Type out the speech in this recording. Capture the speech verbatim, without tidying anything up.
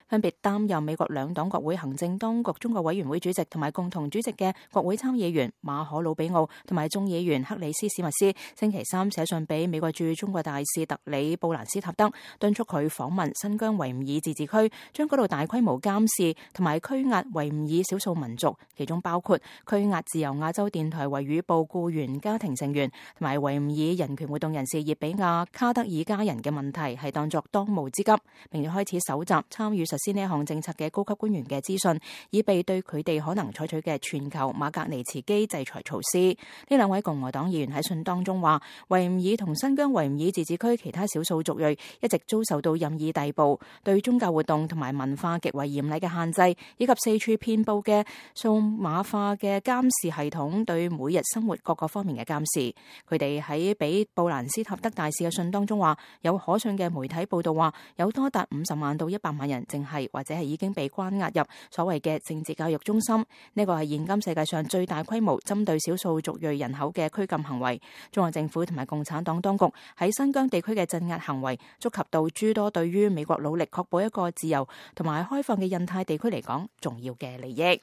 分別擔任美國兩黨國會行政當局中國委員會主席同埋共同主席嘅國會參議員馬可魯比奧同埋眾議員克里斯史密斯，星期三寫信俾美國駐中國大使特里布蘭斯塔德，敦促佢訪問新疆維吾爾自治區，將嗰度大規模監視同埋拘押維吾爾少數民族，其中包括拘押自由亞洲電台維語部僱員家庭成員同埋維吾爾人權活動人士葉比亞卡德爾家人嘅問題，係當作當務之急，並且開始搜集參與實施呢一項政策嘅高級官員嘅資訊，以備對佢哋可能採取嘅全球馬格尼茨基制裁措施。呢兩位共和黨議員喺信當中話，維吾爾同新疆維吾爾自治區其他少數族裔一直遭受到任意逮捕、對宗教活動同埋文化極為嚴厲嘅限制，以及四處遍佈嘅數碼化嘅監視系統對每日生活各個方面嘅監視。佢哋喺俾布蘭斯塔德大使嘅信當中話，有可信嘅媒體報道話，有多達五十萬到一百萬人淨係或者係已經被關押入所謂嘅政治教育中心。呢個係現今世界上最大規模針對少數族裔人口嘅拘禁行為。中國政府同埋共產黨當局喺新疆地區嘅鎮壓行為，觸及到諸多對於美國努力確保一個自由同埋開放嘅印太地區嚟講重要嘅利益。